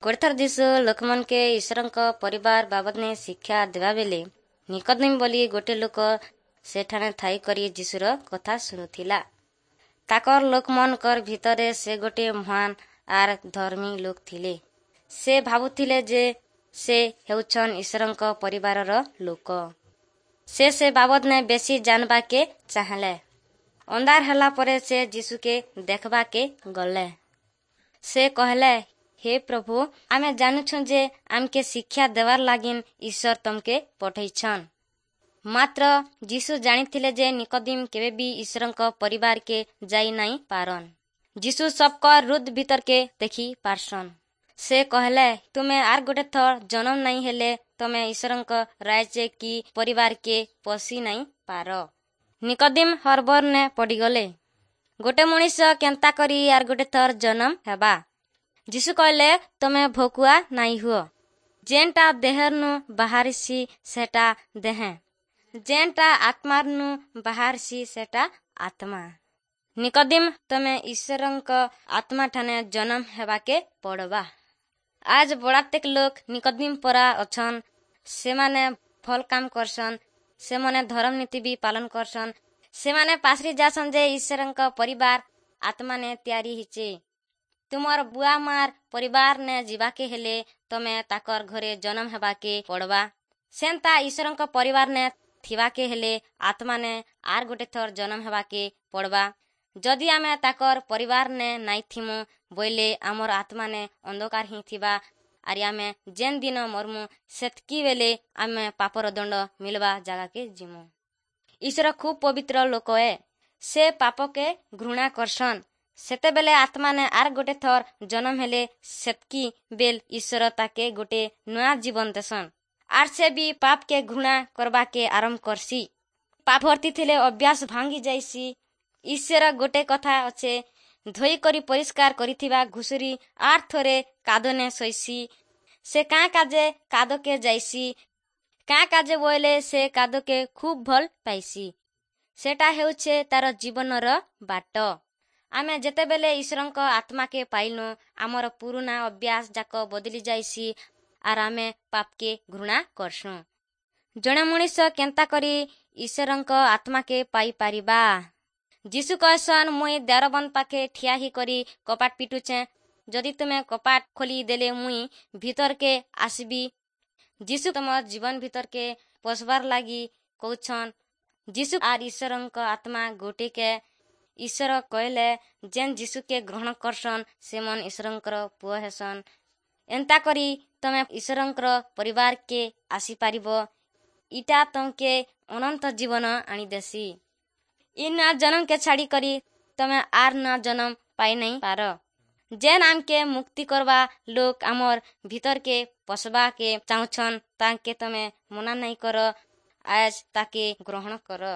ଗୋଟେ ଥର ଯୀଶୁ ଲୋକମାନକେ ଈଶ୍ୱରଙ୍କ ପରିବାର ବାବଦନେ ଶିକ୍ଷା ଦେବା ବେଲେ ନିକୋଦିମ ବୋଲି ଗୋଟେ ଲୋକ ସେଠାନେ ଥାଇକରି ଯୀଶୁର କଥା ଶୁଣୁଥିଲା। ତାକର ଲୋକମାନଙ୍କର ଭିତରେ ସେ ଗୋଟେ ମହାନ ଆର୍ ଧର୍ମୀ ଲୋକ ଥିଲେ। ସେ ଭାବୁଥିଲେ ଯେ ସେ ହେଉଛନ୍ ଈଶ୍ୱରଙ୍କ ପରିବାରର ଲୋକ। ସେ ସେ ବାବଦନେ ବେଶୀ ଜାନବାକେ ଚାହେଁଲେ। ଅନ୍ଧାର ହେଲା ପରେ ସେ ଯୀଶୁକେ ଦେଖବାକେ ଗଲେ। ସେ କହେଲେ, ହେ ପ୍ରଭୁ, ଆମେ ଜାନୁଛୁଁ ଯେ ଆମକେ ଶିକ୍ଷା ଦେବାର୍ ଲାଗିନ୍ ଈଶ୍ୱର ତମକେ ପଠେଇଛନ୍। ମାତ୍ର ଯୀଶୁ ଜାଣିଥିଲେ ଯେ ନିକୋଦିମ କେବେ ବି ଈଶ୍ୱରଙ୍କ ପରିବାରକେ ଯାଇ ନାଇଁ ପାରନ୍। ଯୀଶୁ ସବକର୍ ହୃଦ୍ ଭିତରକେ ଦେଖି ପାରସନ୍। ସେ କହେଲେ, ତୁମେ ଆର୍ ଗୋଟେ ଥର ଜନମ୍ ନାଇଁ ହେଲେ ତମେ ଈଶ୍ୱରଙ୍କ ରାଇଜେ କି ପରିବାରକେ ପଶି ନାଇଁ ପାର। ନିକୋଦିମ ହରବର୍ନେ ପଡ଼ିଗଲେ। ଗୋଟେ ମଣିଷ କେନ୍ତା କରି ଆର୍ ଗୋଟେ ଥର ଜନମ୍ ହେବା? ଯୀଶୁ କହିଲେ, ତମେ ଭକୁଆ ନାଇଁ ହୁଅ। ଯେନ୍ଟା ଦେହର୍ନୁ ବାହାରିସି ସେଟା ଦେହେଁ, ଯେନ୍ଟା ଆତ୍ମାର୍ନୁ ବାହାରସି ସେଟା ଆତ୍ମା। ନିକୋଦିମ, ତମେ ଈଶ୍ୱରଙ୍କ ଆତ୍ମାଠାନେ ଜନମ୍ ହେବାକେ ପଡ଼ବା। ଆଜ୍ ବଡ଼ାତେକ୍ ଲୋକ୍ ନିକୋଦିମ ପରା ଅଛନ୍। ସେମାନେ ଭଲ୍ କାମ୍ କରସନ୍, ସେମାନେ ଧରମ୍ ନୀତି ବି ପାଲନ କରସନ୍। ସେମାନେ ପାସରି ଯାସନ୍ ଯେ ଈଶ୍ୱରଙ୍କ ପରିବାର ଆତ୍ମାନେ ତିଆରି ହେଇଛେ। ତୁମର ବୁଆ ମାର୍ ପରିବାର ନେ ଯିବାକେ ହେଲେ ତମେ ତାକର୍ ଘରେ ଜନମ୍ ହେବାକେ ପଡ଼ବା। ସେନ୍ତା ଈଶ୍ୱରଙ୍କ ପରିବାର ନେ ଥିବାକେ ହେଲେ ଆତ୍ମାନେ ଆର୍ ଗୋଟେ ଥର ଜନମ୍ ହେବାକେ ପଡ଼ବା। ଯଦି ଆମେ ତାକର୍ ପରିବାର ନେ ନାଇଁ ଥିମୁ ବଇଲେ ଆମର୍ ଆତ୍ମାନେ ଅନ୍ଧକାର ହିଁ ଥିବା, ଆରି ଆମେ ଯେନ୍ ଦିନ ମରମୁ ସେତ୍କି ବେଲେ ଆମେ ପାପର ଦଣ୍ଡ ମିଲବା ଜାଗାକେ ଯିମୁ। ଈଶ୍ୱର ଖୁବ୍ ପବିତ୍ର ଲୋକ ଏ। ସେ ପାପକେ ଘୃଣା କରସନ୍। ସେତେବେଲେ ଆତ୍ମାନେ ଆର୍ ଗୋଟେ ଥର ଜନମ୍ ହେଲେ ସେତ୍କି ବେଲ୍ ଈଶ୍ୱର ତାକେ ଗୋଟେ ନୂଆ ଜୀବନ ଦେସନ୍, ଆର୍ ସେ ବି ପାପକେ ଘୃଣା କରବାକେ ଆରମ୍ଭ କରସି। ପାପ ଭର୍ତ୍ତି ଥିଲେ ଅଭ୍ୟାସ ଭାଙ୍ଗି ଯାଇସି। ଈଶ୍ୱର ଗୋଟେ କଥା ଅଛେ, ଧୋଇକରି ପରିଷ୍କାର କରିଥିବା ଘୁଷୁରୀ ଆର୍ ଥରେ କାଦନେ ଶୋଇସି। ସେ କାଁ କାଜେ କାଦକେ ଯାଇସି, କାଁ କାଜେ ବୋଇଲେ ସେ କାଦକେ ଖୁବ୍ ଭଲ୍ ପାଇସି। ସେଟା ହେଉଛେ ତାର ଜୀବନର ବାଟ। ଆମେ ଯେତେବେଲେ ଈଶ୍ୱରଙ୍କ ଆତ୍ମାକେ ପାଇଲୁ, ଆମର ପୁରୁଣା ଅଭ୍ୟାସ ଯାକ ବଦଲି ଯାଇସି ଆର୍ ଆମେ ପାପକେ ଘୃଣା କରସୁଁ। ଜଣେ ମଣିଷ କେନ୍ତା କରି ଈଶ୍ୱରଙ୍କ ଆତ୍ମାକେ ପାଇପାରିବା? ଯୀଶୁ କହେସନ୍, ମୁଇଁ ଦ୍ୱାରବନ୍ଦ ପାଖେ ଠିଆ ହେଇକରି କପାଟ ପିଟୁଛେଁ। ଯଦି ତୁମେ କପାଟ ଖୋଲି ଦେଲେ ମୁଇଁ ଭିତରକେ ଆସିବି। ଯୀଶୁ ତମର ଜୀବନ ଭିତରକେ ପଶବାର୍ ଲାଗି କହୁଛନ୍। ଯୀଶୁ ଆର୍ ଈଶ୍ୱରଙ୍କ ଆତ୍ମା ଗୋଟେକେ। ଈଶ୍ୱର କହିଲେ, ଯେନ୍ ଯୀଶୁକେ ଗ୍ରହଣ କରସନ୍ ସେମନ୍ ଈଶ୍ୱରଙ୍କର ପୁଅ ହେସନ୍। ଏନ୍ତା କରି ତମେ ଈଶ୍ୱରଙ୍କର ପରିବାରକେ ଆସିପାରିବ। ଇଟା ତମକେ ଅନନ୍ତ ଜୀବନ ଆଣିଦେସି। ଇ ନୂଆ ଜନମକେ ଛାଡ଼ି କରି ତମେ ଆର୍ ନୂଆ ଜନମ ପାଇ ନାଇଁ ପାର। ଯେନ୍ ଆମକେ ମୁକ୍ତି କରବା ଲୋକ୍ ଆମର୍ ଭିତରକେ ପଶବାକେ ଚାହୁଁଛନ୍, ତାଙ୍କେ ତମେ ମନା ନାଇଁ କର। ଆଜ୍ ତାକେ ଗ୍ରହଣ କର।